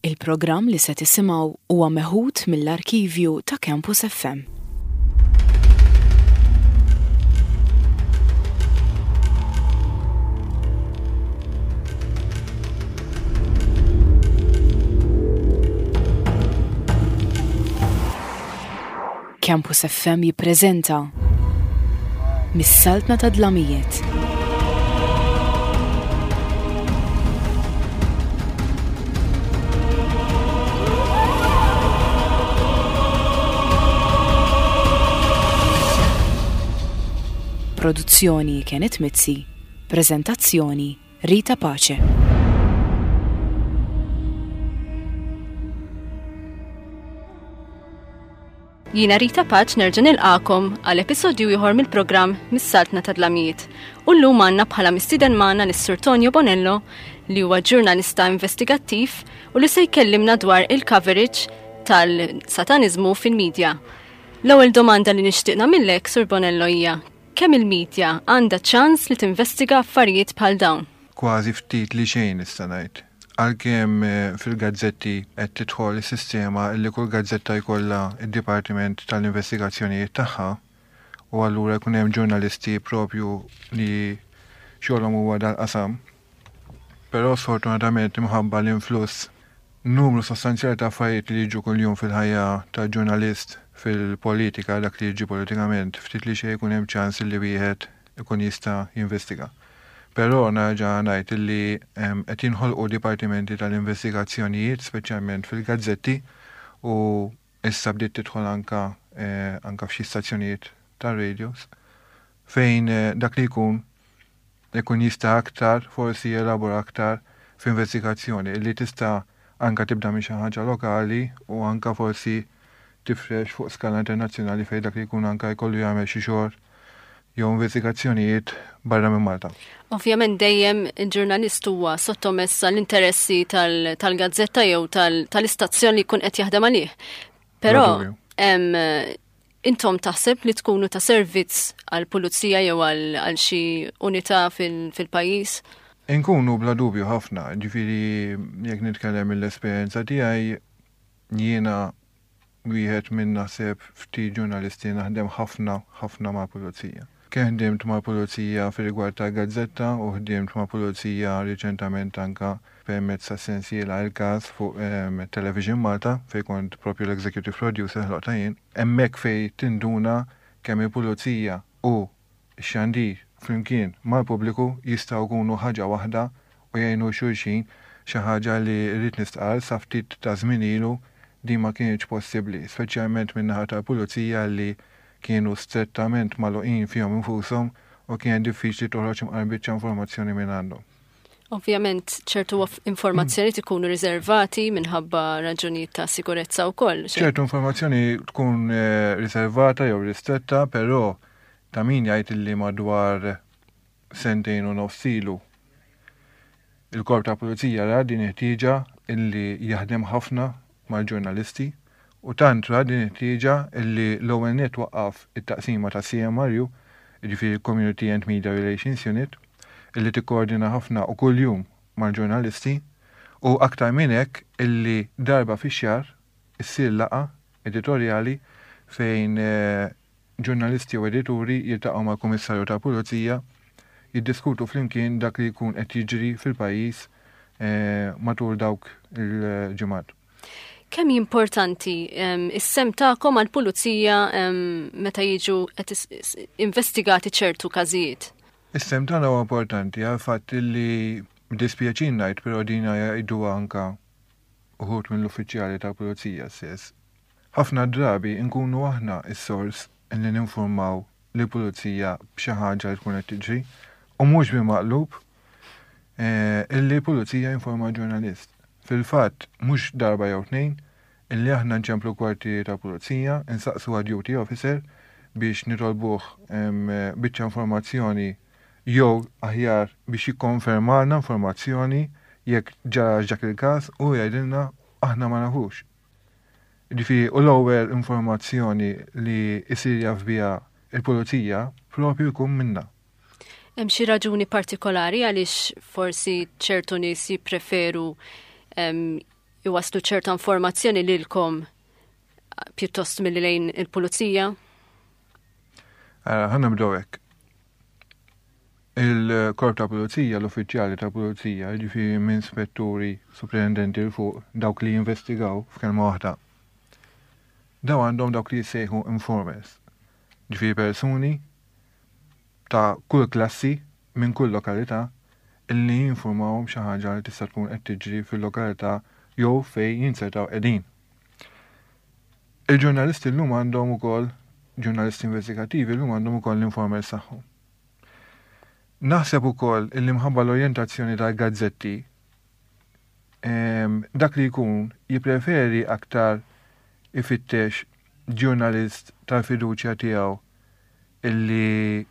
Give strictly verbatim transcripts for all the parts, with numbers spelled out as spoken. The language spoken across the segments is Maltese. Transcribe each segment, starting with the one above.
Il-programm li se tisimgħu huwa meħud mill-arkivju ta' Campus F M. Campus F M jippreżenta Mis-Saltna ta' Dlamijiet. Produzzjoni Kenneth Mizzi, prezentazzjoni Rita Pace. Jiena Rita Pace nerġa' nilqakom għal episodju ieħor mill-programm Mis-Saltna ta' Dlamijiet. U llum għandna bħala mistieden magħna lis-Sur Tonio Bonello, li huwa ġurnalista investigattiv u li se jkellimna dwar il-coverage tal-sataniżmu fil-medja. L-ewwel domanda li nixtieq nagħmillek, Sur Bonello, hija kemm il-medja għandha ċans li tinvestiga affarijiet bħal dawn? Kważi ftit li xejn, nista' ngħid. Għalkemm eh, fil-gazzetti qed tidħol is-sistema li kull gazzetta jkollha id-dipartiment tal-investigazzjonijiet tagħha u allura jkun hemm ġurnalisti propju li xogħolhom huwa dal-qasam. Però sfortunatament, imħabba l-influss numru sostanzjali ta' affarijiet li jiġu kuljum fil-ħajja ta' ġurnalist, fil-politika, dak li jiġi politikament, ftit li xejn jkun hemm ċans li wieħed ikun jista' jinvestiga. Però nerġa' ngħid li qed jinħolqu dipartimenti tal-investigazzjonijiet, speċjalment fil-gazzetti, u issa bdiet tidħol anka eh, anka f'xi stazzjonijiet tar-radios fejn eh, dak li jkun ikun jista' aktar forsi jelabora aktar f'investigazzjoni li tista' anka tibda minn xi ħaġa lokali u anka forsi tifrex fuq skala internazzjonali, fejn dak li jkun anka jkollu jagħmel xi xogħol jew investigazzjonijiet barra minn Malta. Ovvjament dejjem il-ġurnalist huwa sottomess l-interessi tal-gazzetta jew tal-istazzjon li jkun qed jaħdem għalih. Però intom taħseb li tkunu ta' servizz għal pulizija jew għal xi unità fil-pajjiż? Inkunu bla dubju ħafna, ġifieri jekk nitkellem mill-esperjenza tiegħi, jiena wieħed minn naħseb ftit ġurnalisti naħdem ħafna ħafna ma' pulizija. Kemm ħdimt ma' pulizija fir-rigward ta' gazzetta u ħdimt ma' pulizija riċentament anka permezz ta' sensiela Il-Każ fuq um, Television Malta, fej kont propju l-executive producer, ħloqtha jien. Hemmhekk fej tinduna kemm il-pulizija u x-xandir flimkien mal-pubbliku jistgħu jkunu ħaġa waħda u jgħinu xulxin, xi ħaġa li rrid nistqar sa ftit ta' żmien ilu din ma kienx possibbli, speċjalment min-naħa tal-pulizija li kienu strettament magħluqin fihom infushom u kien diffiċli toħroġ imqar biċċa informazzjoni minn għandhom. Ovvjament ċertu informazzjoni ikunu riservati minħabba raġunijiet ta' sikurezza wkoll. Ċertu informazzjoni tkun eh, riservata jew ristretta, però ta' min jgħid li madwar sentejn u nofs ilu il-korp ta' pulizija ra din ħtieġa illi jaħdem ħafna mal-ġurnalisti u tant ra din ħtieġa illi l-ewwel net waqqaf it-taqsima ta' C M R U, jiġifieri Community and Media Relations Unit, illi tikkoordina ħafna u kuljum mal-ġurnalisti, u aktar minn hekk illi darba fix-xahar issir laqgħa editorjali fejn eh, ġurnalisti u edituri jiltaqgħu mal-Kummissarju ta' Pulizija, jiddiskutu flimkien dak li jkun qed jiġri fil-pajjiż eh, matul dawk il-ġimgħat. Kemm importanti is-sehem tagħkom għall-pulizija meta jiġu qed investigati ċertu każijiet? Is-sehem tagħna huwa importanti għal fatt li, dispjaċin ngħid, però dina jgħidu anka uħud mill-uffiċjali tal-pulizija stess. Ħafna drabi nkunu aħna is-sors li ninformaw li pulizija b'xi ħaġa li tkun qed tiġri u mhux bil-maqlub eh, illi pulizija informa ġurnalist. Fil-fatt, mhux darba jew tnejn illi aħna nċemplu kwartieri ta' pulizija, insaqsu għad duty officer biex nitolbuh biċċa informazzjoni jew aħjar biex jikkonfermalna informazzjoni jekk ġara dak il-każ, u jgħidilna aħna ma nafux. Ġifieri, u l-ewwel informazzjoni li jsir jaf biha il-pulizija propju jkun minna. Hemm xi raġuni partikolari għaliex forsi ċertu nies jippreferu iwaslu ċerta informazzjoni lilkom pjuttost milli lejn il-pulizija? Ħa nibdew hekk. Il-korp ta' pulizija, l-uffiċjali ta' pulizija, ġifieri minn spetturi, superintendenti 'l fuq, dawk li jinvestigaw f'kelma waħda. Daw għandhom dawk li jissejħu informers. Ġifieri persuni ta' kull klassi minn kull lokalità illi jinformawhom xi ħaġa li tista' tkun qed tiġri fil-lokalità jew fejn jinzertaw qegħdin. Il-ġurnalisti llum għandhom ukoll, ġurnalisti investigattivi llum għandhom ukoll l-informers tagħhom. Naħseb ukoll illi mħabba l-orjentazzjoni tal-gazzetti, dak li jkun jippreferi aktar ifittex ġurnalist tal-fiduċja tiegħu illi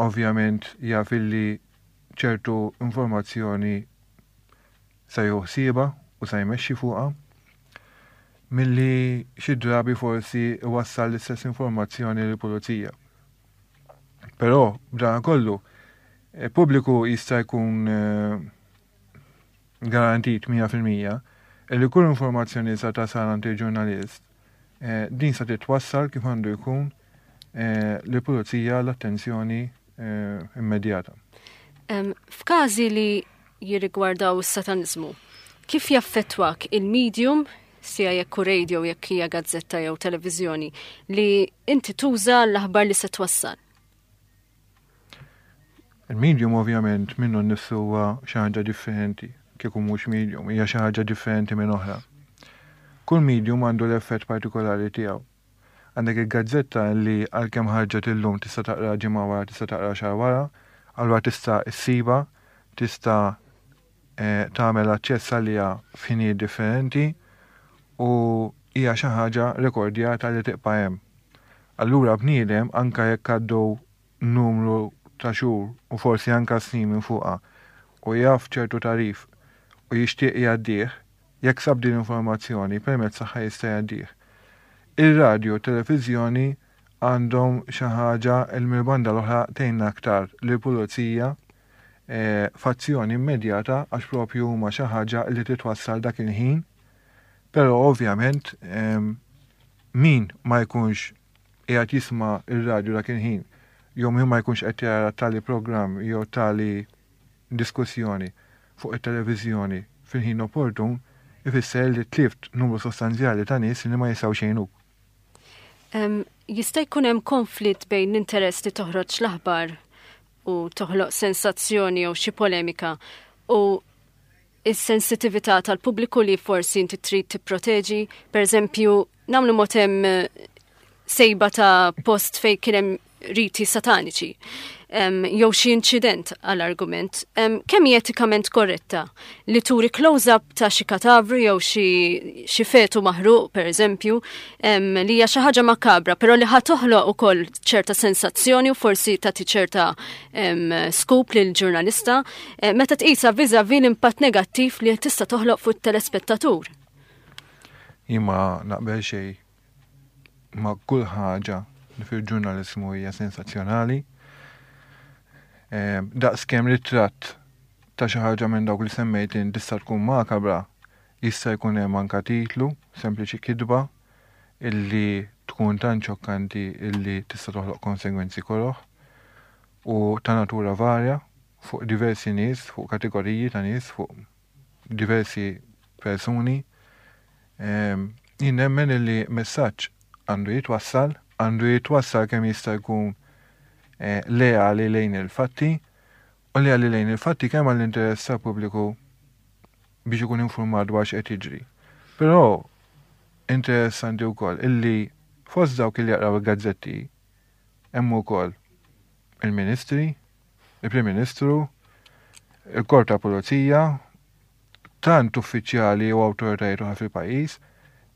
ovvjament jaf illi ċertu informazzjoni sa joħsiba u sa jmexxi fuqha, milli xi drabi forsi iwassal l-istess informazzjoni lill-pulizija. Però b'dan kollu, pubbliku jista' jkun garantit mija fil-mija li kull informazzjoni sa tasal għand il-ġurnalist din sa titwassal kif għandu jkun lill-pulizija l-attenzjoni immedjata. F'każi li jirrigwardaw is-satanizmu, kif jaffettwak il-medium, sija jekk hu radio, jekk hija gazzetta jew televiżjoni, li inti tuża l-aħbar li se twassal? Il-medium ovvjament minnu nnifsu huwa xi ħaġa differenti, kieku mhux medium, hija xi ħaġa differenti minn oħra. Kull medium għandu l-effett partikolari tiegħu. Għandek il-gazzetta li għalkemm ħarġet illum tista' taqra ġimgħa wara, tista' taqra xahar wara, allura tista' issiba, tista' tagħmel aċċess għaliha f'ħinijiet differenti u hija xi ħaġa rekordjata li tibqa' hemm. Allura bniedem anke jekk għaddew numru ta' xhur u forsi anke snin minn fuqha u jaf ċertu tarif u jixtieq jgħaddih, jekk sab din l-informazzjoni permezz tagħha jista' jgħaddih. Ir-radju u t-televiżjoni għandhom xi ħaġa li mill-banda l-oħra tgħinna aktar lill-pulizija f'azzjoni immedjata għax propju huma xi ħaġa li titwassal dak il-ħin, però ovvjament min ma jkunx qiegħed jisma' ir-radju dak il-ħin jew min ma jkunx qed jara tali programm jew tali diskussjoni fuq it-televiżjoni fil-ħin opportun, ifisser li tlift numru sostanzjali ta' nies li ma jistgħux jgħinuk. Jista' jkun hemm konflitt bejn l-interess li toħroġ l-aħbar u toħloq sensazzjoni jew xi polemika u is-sensitività tal-pubbliku li forsi inti trid tipproteġi, per eżempju, nagħmlu mod hemm sejba ta' post fejn kien hemm riti sataniċi, jew xi inċident għall-argument, kemm hi etikament korretta li turi close-up ta' xi katavru jew xi fetu maħruq, per eżempju, li hija xi ħaġa makabra, però li ħa toħloq ukoll ċerta sensazzjoni u forsi tagħti ċerta scoop lil ġurnalista, meta tqisha vis-à-vis l-impatt negattiv li tista' toħloq fuq it-telespettatur. Jien ma naqbel xejn ma' kull ħaġa li fil-ġurnalizmu hija sensazzjonali. Daqs kemm ritratt ta' xi ħaġa minn dawk li semmejt li tista' tkun makabra, jista' jkun hemm anka titlu, sempliċi kitba, illi tkun tant xokkanti illi tista' toħloq konsegwenzi koroh u ta' natura varja fuq diversi nies, fuq kategoriji ta' nies, fuq diversi persuni. Jien nemmen illi messaġġ għandu jitwassal, għandu jitwassal kemm jista' jkun leali lejn il-fatti, u leali lejn il-fatti kemm għall-interess tal-pubbliku biex ikun informat dwar x'qed jiġri. Però interessanti wkoll illi fost dawk li jaqraw il-gazzetti hemm ukoll il-Ministri, il-Prim Ministru, il-Korp ta' Pulizija, tant uffiċjali u awtoritajiet oħra fil-pajjiż,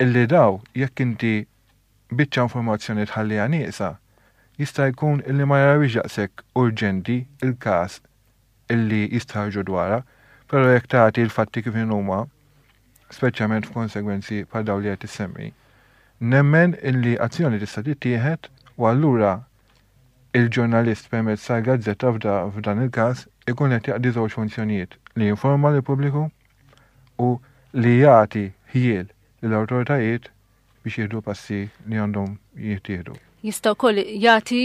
illi daw jekk inti biċċa informazzjoni tħalliha nieqsa, jista' jkun illi ma jarawix daqshekk urġenti il-każ illi jistħarġu dwarha, però jekk tagħti l-fatti kif huma, speċjalment f'konsegwenzi bħal dawn li qed issemmi, nemmen illi azzjoni tista' tittieħed u allura il-ġurnalist permezz tal-gazzetta f'dan il-każ ikun qed jaqdi żewġ funzjonijiet, li jinforma lill-pubbliku u li jagħti ħjiel lill-awtoritajiet biex jieħdu passi li għandhom jittieħdu. Jista' wkoll jagħti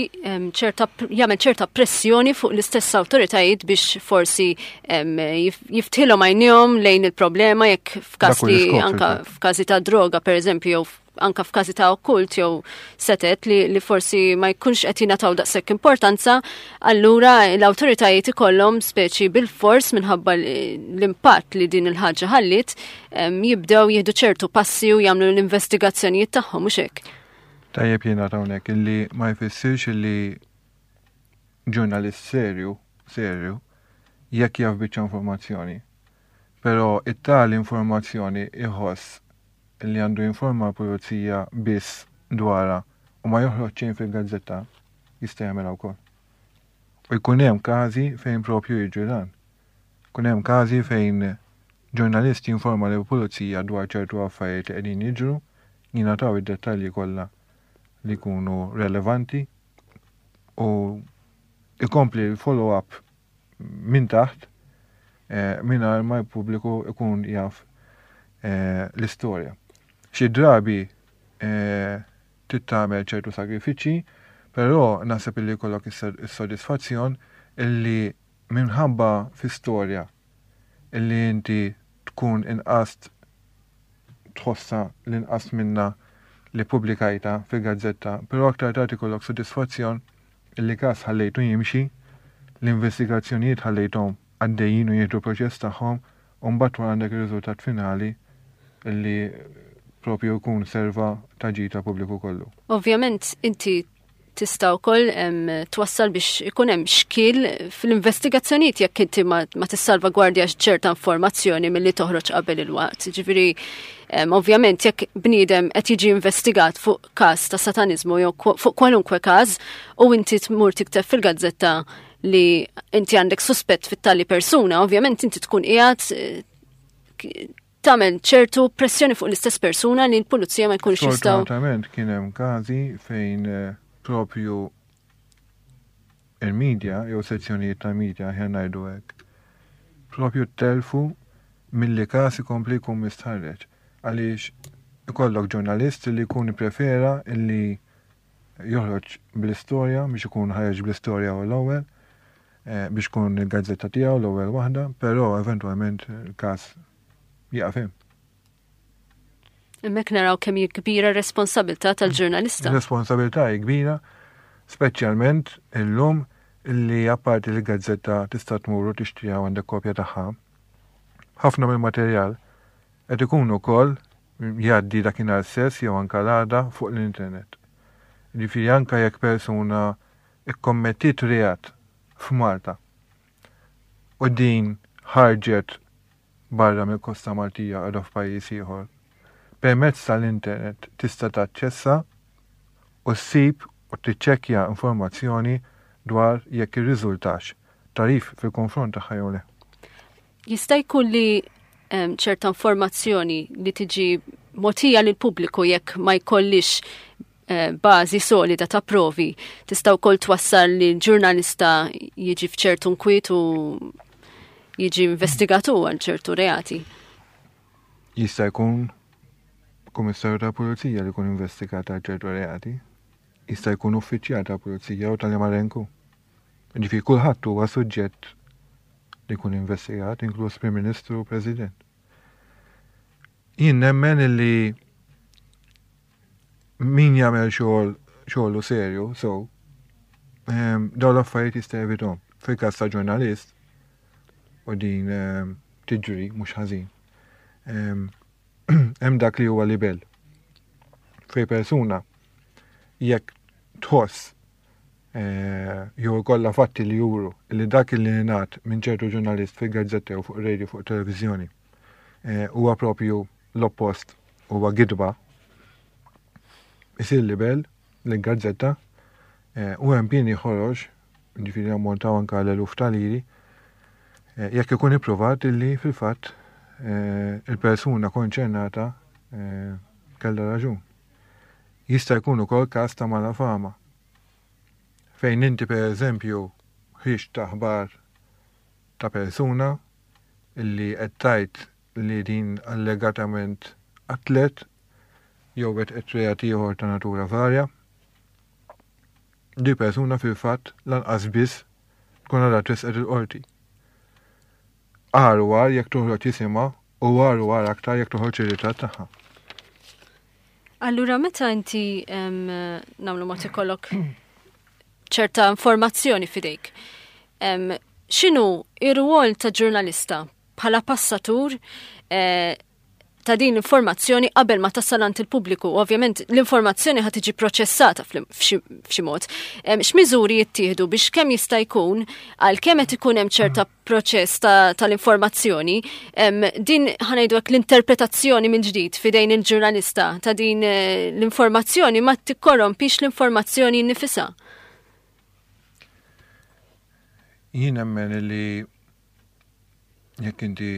ċerta jagħmel ċerta pressjoni fuq l-istess awtoritajiet biex forsi jiftħilhom għajnejhom lejn il-problema jekk f'każ li anka f'każi ta' droga, pereżempju, jew anka f'każi ta' okkult jew setet li, li forsi ma jkunx qed jingħataw daqshekk importanza, allura l-awtoritajiet ikollhom speċi bil-fors, minħabba l-impatt li din il-ħaġa ħallit, jibdew jieħdu ċertu passi u jagħmlu l-investigazzjonijiet tagħhom, mhux hekk? Tajjeb jiena hawnhekk illi ma jfissirx illi ġurnalist serju, serju, jekk jaf biċċa informazzjoni, però it-tali informazzjoni iħoss li għandu jinforma l-pulizija biss dwarha u ma joħroġ xejn fil-gazzetta, jista' jagħmilha wkoll. U jkun hemm każi fejn propju jiġri dan. Jkun hemm każi fejn ġurnalist jinforma lill-pulizija dwar ċertu affarijiet li qegħdin jiġru, jingħataw id-dettalji kollha li jkunu relevanti u ikompli l-follow-up minn taħt eh, mingħajr ma l-pubbliku ikun jaf eh, l-istorja. Xi drabi eh, trid tagħmel ċertu sagrifiċċji, però naħseb illi jkollok is-sodisfazzjon illi minħabba fi storja illi inti tkun inqast tħossa l-inqas minna li publikajta fil-gazzetta, però aktar tard ikollok sodisfazzjon illi każ ħallejtu jimxi, l-investigazzjonijiet ħallejthom għaddejjin u jieħdu proċess tagħhom, u mbagħad wara għandek ir-riżultat finali illi propju jkun serva ta' ġid għall-pubbliku kollu. Ovvjament inti tista' wkoll twassal biex ikun hemm xkiel fl-investigazzjonijiet jekk inti ma, ma tissalvagwardjax ċerta informazzjoni milli toħroġ qabel il-waqt. Ġifieri, ovvjament, jekk bniedem qed jiġi investigat fuq każ ta' satanizmu jew fuq kwalunkwe każ u inti tmur tikteb fil-gazzetta li inti għandek suspett fit-tali persuna, ovvjament inti tkun qiegħed eh, tagħmel ċertu pressjoni fuq l-istess persuna li l-pulizija ma jkunx jistgħu. Sfortunatament kien hemm każi fejn eh, propju il-media jew sezzjonijiet ta' media, ħa ngħidu hekk, propju telfu milli każ ikompli jkun mistħarreġ, għaliex ikollok ġurnalist li jkun prefera illi joħroġ bl-istorja biex ikun ħareġ bl-istorja u l-ewwel eh, biex kun il-gazzetta tiegħu l-ewwel waħda, però eventwalment il-każ jaqaf hemm. Hemmhekk naraw kemm hi kbira responsabilità tal-ġurnalista. Responsabilità hi kbira, speċjalment illum illi apparti li gazzetta tista' tmur u tixtriha, għandek kopja tagħha. Ħafna mill-materjal qed ikun ukoll jgħaddi dakinhar stess jew anke l-għada fuq l-internet. Ġifieri anke jekk persuna ikkommettit reat f'Malta u din ħarġet barra mill-kosta Maltija, qiegħda f'pajjiż ieħor, permezz tal-internet tista' taċċessa u ssib u tiċċekkja informazzjoni dwar jekk irriżultax tagħrif fil-konfront tagħha jew le. Jista' jkun li em, ċerta informazzjoni li tiġi mogħtija lill-pubbliku, jekk ma jkollix eh, bażi solida ta' provi, tista' wkoll twassal li l-ġurnalista jiġi f'ċertu nkwiet u jiġi investigatu għal ċertu reati? Jista' jkun kummissarju ta' pulizija li jkun investigat għal ċertu reati. Jista' jkun uffiċjal ta' pulizija u tal-Marenku. Ġifieri kulħadd huwa suġġett li jkun investigat, inkluż Prim Ministru u President. Jien nemmen illi min jagħmel xogħol xogħlu serju, so ehm, dawn l-affarijiet jista' jevitahom. Fil-każ ta' ġurnalist, u din ehm, tiġri mhux ħażin. Ehm, hemm dak li huwa libel. Fej persuna jekk tħoss eh, jew ikollha fatti li juru li dak li ngħad minn ċertu ġurnalist fil-gazzetta jew fuq radio, fuq televiżjoni eh, huwa propju l-oppost, huwa gidba, isir libel l-gazzetta eh, u hemm pieni ħorox, ġifieri ammontaw anke l-eluf ta' liri, jekk ikun ippruvat illi fil-fatt il-persuna konċernata kellha raġun. Jista' jkun ukoll każ ta' malafama, fejn inti, per eżempju, ħriġt aħbar ta' persuna illi qed tgħid li din allegatament qatlet jew wettqet reat ieħor ta' natura varja. Di persuna fil-fatt lanqas biss tkun għadha tresqet il-qorti. Agħar u agħar jekk toħroġ isimha u agħar u agħar aktar jekk toħroġ ir-ritratt tagħha. Allura meta inti nagħmlu mod ikollok ċerta informazzjoni f'idejk, x'inhu ir-rwol ta' ġurnalista bħala passatur eh, ta' din l-informazzjoni qabel ma tasal għand il-pubbliku? Ovvjament l-informazzjoni ħa tiġi proċessata f'xi mod. X'miżuri jittieħdu biex kemm jista' jkun, għal kemm qed ikun hemm ċerta proċess tal-informazzjoni, din, ħa ngħidu, l-interpretazzjoni minn ġdid f'idejn il-ġurnalista ta' din eh, l-informazzjoni ma tikkorrompix l-informazzjoni nifisha? Jien nemmen li jekk inti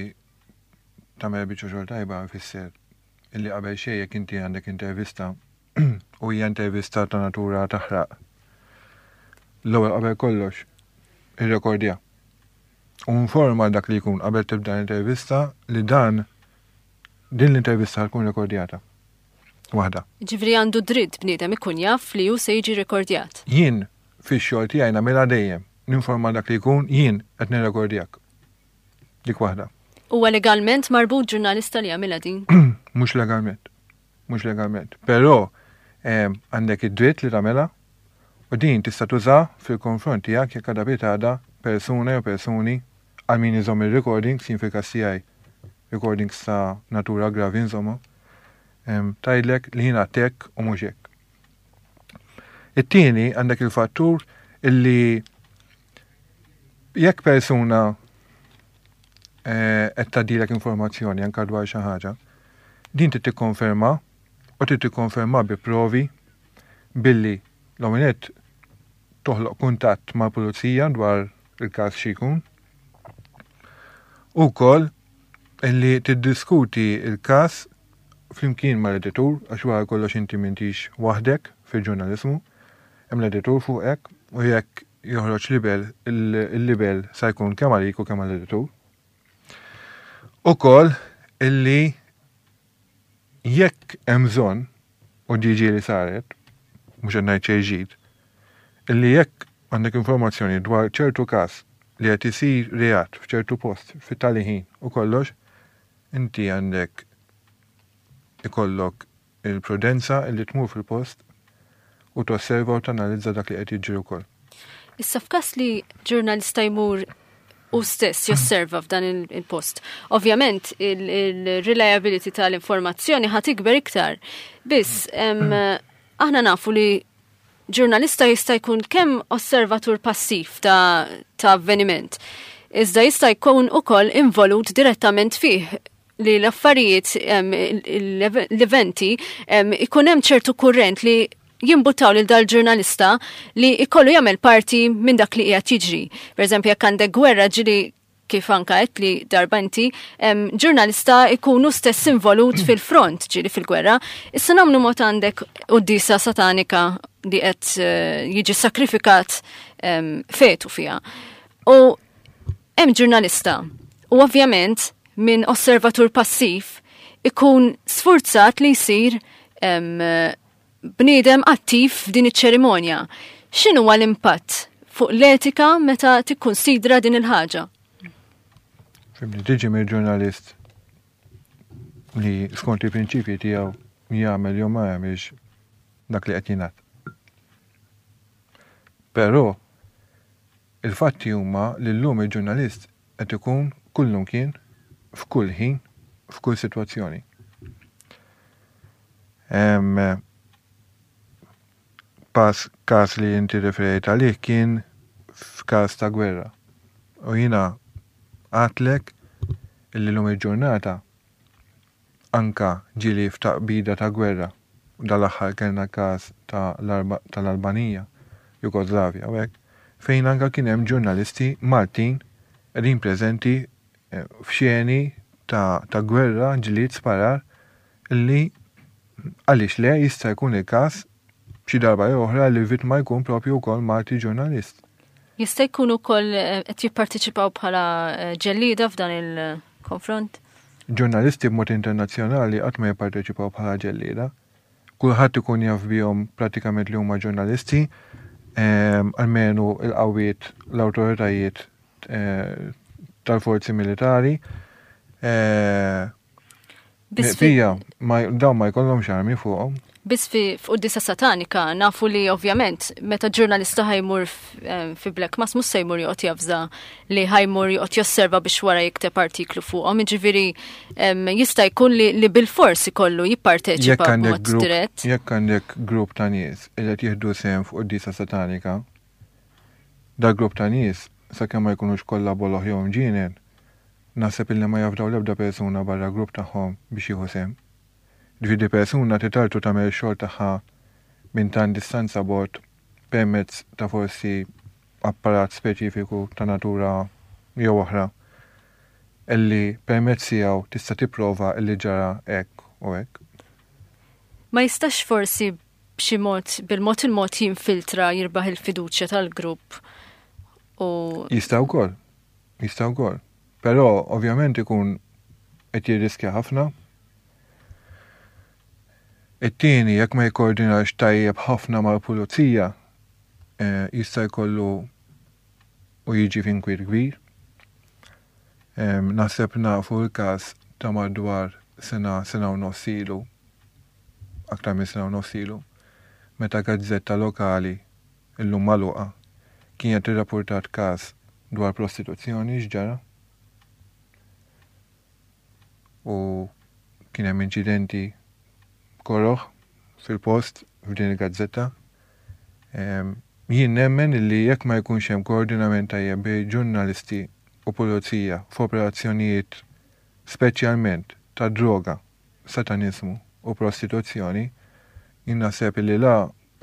tagħmel biċċa xogħol tajba, fisser illi qabel xejn, jekk inti għandek intervista u hija intervista ta' natura taħraq, l-ewwel qabel kollox irrekordja. U informa dak li jkun qabel tibda l-intervista li dan din l-intervista tkun rekordjata. Waħda. Ġifieri għandu dritt bniedem ikun jaf li hu se jiġi rekordjat. Jien fix-xogħol tiegħi nagħmilha dejjem. Ninforma dak li jkun: jien qed nirrekordjak. Dik waħda. Huwa legalment marbut ġurnalista li jagħmilha din? Mhux legalment. Mhux legalment. Però għandek id-dritt li tagħmilha u din tista' tuża fil-konfront tiegħek jekk għada pitgħada persuna jew persuni, għal min iżomm il-recordings, jien fil-każ tiegħi recordings ta' natura gravi insomma, tgħidlek li jiena hekk u mhux hekk. It-tieni, għandek il-fattur illi jekk persuna eh, qed tgħaddilek informazzjoni anke dwar xi ħaġa, din trid tikkonferma u trid tikkonferma bi provi billi l-ewwel toħloq kuntatt mal-pulizija dwar il-każ xi jkun. Ukoll illi tiddiskuti il-każ flimkien mal-editur, għax wara kollox inti m'intix waħdek fil-ġurnalizmu, hemm l-editur fuqek u jekk joħroġ libel, il-libel sa jkun kemm għalik u kemm għall-editur. Ukoll illi jekk hemm bżonn, u ġieli li saret, mhux qed ngħid xejn ġdid, illi jekk għandek informazzjoni dwar ċertu każ li qed isir reat f'ċertu post fit-tali ħin u kollox, inti għandek ikollok il-prudenza illi tmur fil-post u tosserva u tanalizza dak li qed jiġri wkoll. Issa, f'każ li ġurnalista jmur u stess josserva f'dan il-post, ovvjament il-reliability tal-informazzjoni ħa tikber iktar. Biss, aħna nafu li ġurnalista jista' jkun kemm osservatur passiv ta', ta avveniment, iżda jista' jkun ukoll involut direttament fih, li l-affarijiet, l-eventi, ikun hemm ċertu kurrent li jimbutaw lil dal-ġurnalista li ikollu jagħmel parti minn dak li qiegħed jiġri. Per eżempju, jekk għandek gwerra, ġieli kif anka qed li darba inti, ġurnalista ikunu stess involut fil-front ġieli fil-gwerra. Issa nagħmlu mod għandek quddisa satanika li qed eh, jiġi sakrifikat fetu fiha. U hemm ġurnalista u ovvjament minn osservatur passiv ikun sfurzat li jsir bniedem attiv f'din iċ-ċerimonja. X'inhu l-impatt fuq l-etika meta tikkunsidra din il-ħaġa? Fhimni, tiġi mill ġurnalist li skont il-prinċipji tiegħu jagħmel jew ma jagħmilx dak li qed jingħad. Però il-fatti huma li llum il-ġurnalist qed ikun kullum kien, f'kull ħin, f'kull sitwazzjoni. Em, Pas każ li inti referejt għalih kien f'każ ta' gwerra. U jiena għedtlek illi llum il-ġurnata anka ġieli f'taqbida ta' gwerra. U dal-aħħar kellna każ tal-Albanija, Jugoslavja, u hekk, fejn anka kien hemm ġurnalisti Maltin qegħdin preżenti eh, f'xeni ta', ta' gwerra, ġlied, sparar, illi għaliex le, jista' jkun il-każ xi darba jew oħra li vittma jkun propju wkoll Malti ġurnalist. Jista' jkun ukoll eh, qed jipparteċipaw bħala eh, ġellieda f'dan il-konfront? Ġurnalisti b'mod internazzjonali qatt ma jipparteċipaw bħala ġellieda. Kulħadd ikun jaf bihom prattikament li huma ġurnalisti, ehm, almenu il-qawwiet, l-awtoritajiet eh, tal-forzi militari. Eh, Biss fi- Fija, ma- dawn ma jkollhomx armi fuqhom. Biss fi f'quddisa satanika nafu li ovvjament meta ġurnalista ħa jmur f- eh, fi Black Mass mhux se jmur joqgħod javża li ħa jmur joqgħod josserva biex wara jikteb artiklu fuqhom. Jiġifieri em, jista' jkun li, li bil-fors ikollu jipparteċipa Jekk għandek b'mod grupp, dirett. jekk għandek grupp ta' nies li qed jieħdu sehem fuq quddiesa satanika, da grupp ta' nies sakemm ma jkunux kollha boloh jew mġienen, naħseb illi ma jafdaw l-ebda persuna barra grupp tagħhom biex jieħu sehem. Ġifieri persuna titartu tagħmel xogħol tagħha minn tan distanza bot permezz ta' forsi apparat speċifiku ta' natura jew oħra illi permezz tiegħu tista' tipprova illi ġara hekk u hekk. Ma jistax forsi b'xi mod bil-mod il-mod jinfiltra, jirbaħ il-fiduċja tal-grupp u Jista' wkoll. Jista' wkoll. Però ovvjament ikun qed jirriskja ħafna. It-tieni, jekk ma jikkoordinax tajjeb ħafna mal-pulizija, eh, jista' jkollu u jiġi f'inkwiet kbir. Em, Naħseb nafu l-każ ta' madwar sena, sena u nofs ilu, aktar minn sena u nofs ilu, meta gazzetta lokali illum magħluqa kienet irrapportat każ dwar prostituzzjoni x'ġara. U kien hemm inċidenti koroħ fil-post f'din il-gazzetta. Em, Jien nemmen illi jekk ma jkunx hemm koordinament tajjeb bejn ġurnalisti u pulizija f'operazzjonijiet speċjalment ta' droga, satanizmu u prostituzzjoni, jien naħseb illi la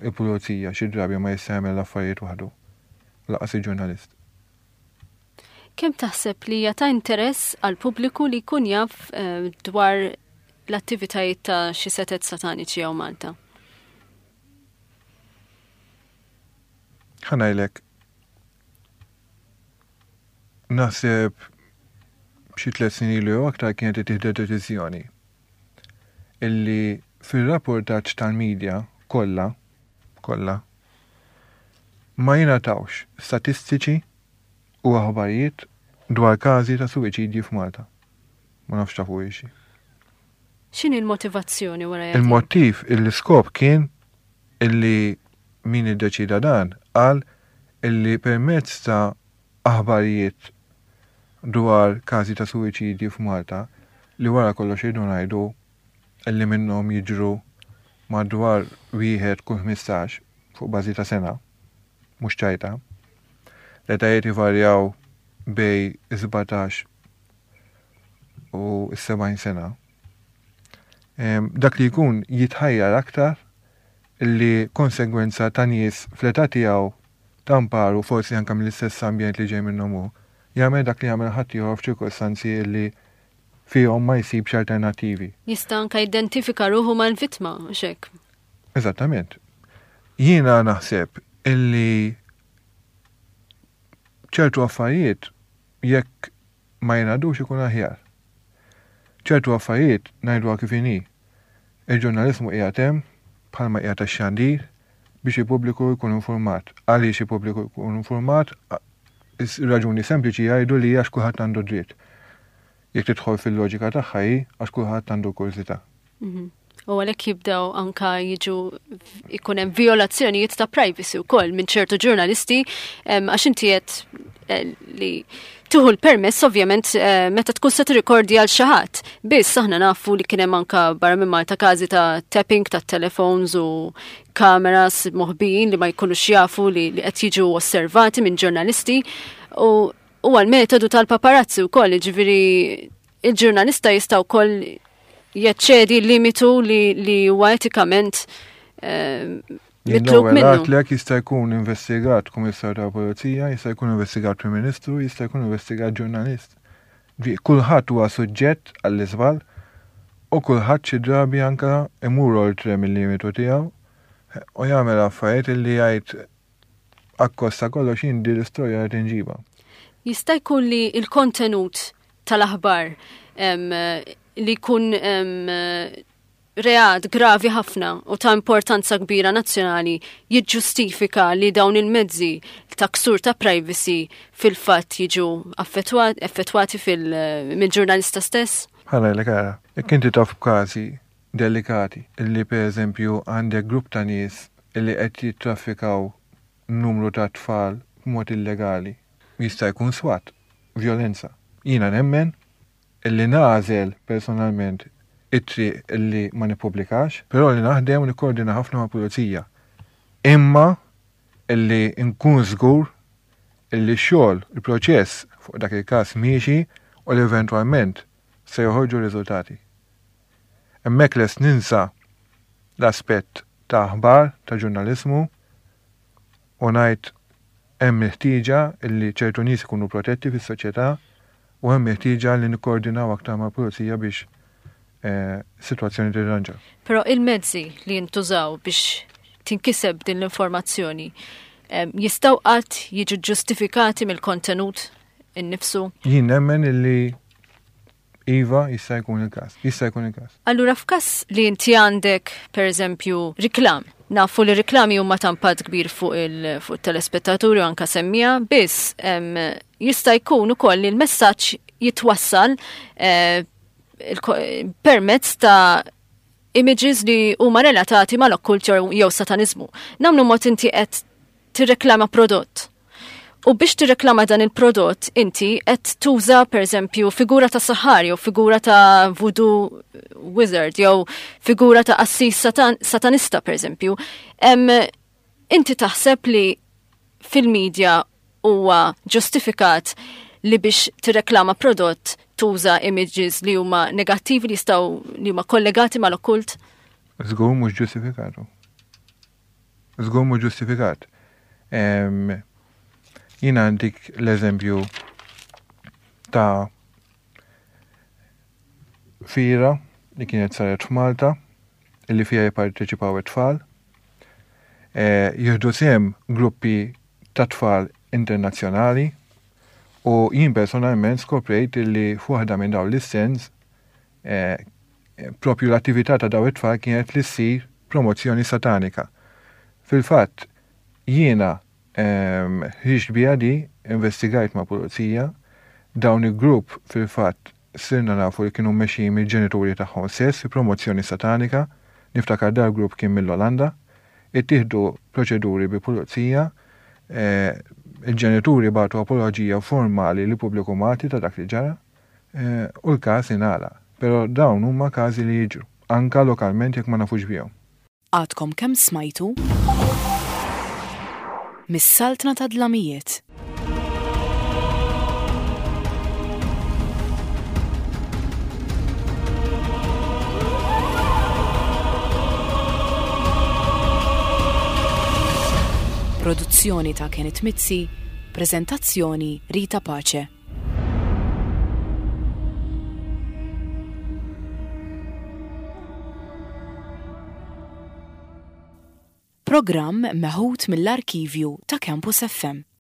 il-pulizija xi drabi ma jista' jagħmel l-affarijiet waħdu, lanqas il-ġurnalist. Kemm taħseb li hija ta' interess għal pubbliku li jkun jaf eh, dwar l-attivitajiet ta' xi setet sataniċi hawn Malta? Ħa ngħidlek, naħseb xi tliet snin ilu jew aktar kienet ittieħdet deċiżjoni illi fir-rapportaġġ tal-medja kollha, kollha ma jingħatawx statistiċi u aħbarijiet dwar każi ta' suwiċidji f'Malta. Ma nafx tafu xi. X'inhi l-motivazzjoni wara jagħti? Il-motiv, il-iskop kien illi min iddeċida dan qal illi permezz ta' aħbarijiet dwar każi ta' suwiċidji f'Malta li wara kollox irridu ngħidu illi minnhom jiġru madwar wieħed kull ħmistax fuq bażi ta' sena, mhux ċajta. L-etajiet ivarjaw bej sbatax u sebgħin sena. Em, dak li jkun jitħajjar aktar illi konsegwenza ta' nies fl-età tiegħu tamparu forsi anke mill-istess ambjent li ġej minnhom hu, jagħmel dak li jagħmel ħaddieħor f'ċirkostanzi illi fihom ma jsibx alternattivi. Jista' anke jidentifika ruħu mal-vittma, mhux hekk? Eżattament. Jiena naħseb illi ċertu affarijiet jekk ma jingħadux ikun aħjar. Ċertu affarijiet ngħiduha kif inhi. Il-ġurnalizmu qiegħed hemm bħalma qiegħed tax-xandir biex il-pubbliku jkun informat. Għaliex il-pubbliku jkun informat? Raġuni sempliċi jgħidu li għax kulħadd għandu dritt. Jekk tidħol fil-loġika tagħha hi għax kulħadd għandu kurżità. Mhm. U għalhekk jibdew anka jiġu ikun hemm violazzjonijiet ta' privacy wkoll minn ċertu ġurnalisti, em, għax inti qed, eh, li tieħu l-permess ovvjament, eh, meta tkun se tirrikordja għal xi ħadd. Biss aħna nafu li kien hemm anka barra minn Malta każi ta' tapping ta' telephones u kameras moħbijin li ma jkunux jafu li, li qed jiġu osservati minn ġurnalisti u huwa l-metodu tal-paparazzi wkoll, jiġifieri il-ġurnalista jista' wkoll jeċċedi limitu li, li huwa etikament, eh, Jien mitlub l-ewwel minnu. għatlek jista' jkun investigat kummissarju tal-Pulizija, jista' jkun investigat Prim Ministru, jista' jkun investigat ġurnalist. Ġi, kulħadd huwa suġġett għall-iżball u kulħadd xi drabi anka imur oltre mill-limitu tiegħu u jagħmel affarijiet illi jgħid akkosta kollox jien din l-istorja qed inġibha. Jista' jkun li l-kontenut tal-aħbar li jkun reat gravi ħafna u ta' importanza kbira nazzjonali jiġġustifika li dawn il-mezzi ta' ksur ta' privacy fil-fatt jiġu affettwati mill-ġurnalista stess? Ħa ngħidlek ara, jekk inti taf b'każi delikati illi per eżempju għandek grupp ta' nies illi qed jittraffikaw numru ta' tfal b'mod illegali, jista' jkun swat, vjolenza. Jiena nemmen illi nagħżel personalment it-triq illi ma nippubblikax, però li naħdem u nikkoordina ħafna ma' pulizija. Imma illi nkun żgur illi x-xogħol, il-proċess fuq dak il-każ miexi u li eventwalment se joħorġu riżultati. Hemmhekk lest ninsa l-aspett ta' aħbar, ta' ġurnaliżmu u ngħid hemm il-ħtieġa illi ċertu nies ikunu protetti fis-soċjetà u hemm il-ħtieġa li nikkoordinaw aktar mal-pulizija biex eh, sitwazzjoni tirranġa. Però il-mezzi li jintużaw biex tinkiseb din l-informazzjoni jistgħu qatt jiġu ġustifikati mill-kontenut innifsu? Jien nemmen illi Iva, jista' jkun il-każ. Jista' jkun il-każ. Allura f'każ li inti għandek, per eżempju, riklam, nafu li riklami huma ta' impatt kbir fuq il-telespettaturi u anka semmija, biss jista' jkun ukoll li l-messaġġ jitwassal eh, permezz ta' images li huma relatati mal-okkult jew satanizmu. Nagħmlu mod inti qed tirreklama prodott. U biex tirreklama dan il-prodott, inti qed tuża pereżempju figura ta' saħar jew figura ta' voodoo wizard jew figura ta' qassis satan satanista pereżempju. Inti taħseb li fil-medja huwa ġustifikat li biex tirreklama prodott tuża images li huma negattivi li jistgħu li huma kollegati mal-okkult? Żgur mhux ġustifikatu. Żgur mhux ġustifikat. Jiena għandik l-eżempju ta' fira li kienet saret f'Malta illi fija jipparteċipaw it-tfal. E, jieħdu sehem gruppi ta' tfal internazzjonali u jien personalment skoprejt illi f'waħda minn dawn l-istens e, propju l-attività ta' dawn it-tfal kienet li ssir promozzjoni satanika. Fil-fatt, jiena ħriġt biha di, investigajt ma' pulizija, dawn il-grupp fil-fatt sirna nafu li kienu mmexxijin mill-ġenituri tagħhom stess, promozzjoni satanika, niftakar dal grupp kien mill-Olanda, ittieħdu proċeduri bi pulizija, eh, il-ġenituri bagħtu apoloġija formali li pubbliku Malti ta' dak li ġara, eh, u l-każ ingħalaq. Però dawn huma każi li jiġru, anka lokalment jekk ma nafux bihom. Għadkom kemm smajtu Mis-Saltna ta' Dlamijiet. Produzzjoni ta' Kenneth Mizzi, prezentazzjoni Rita Pace. Programm meħud mill-arkivju ta' Campus F M.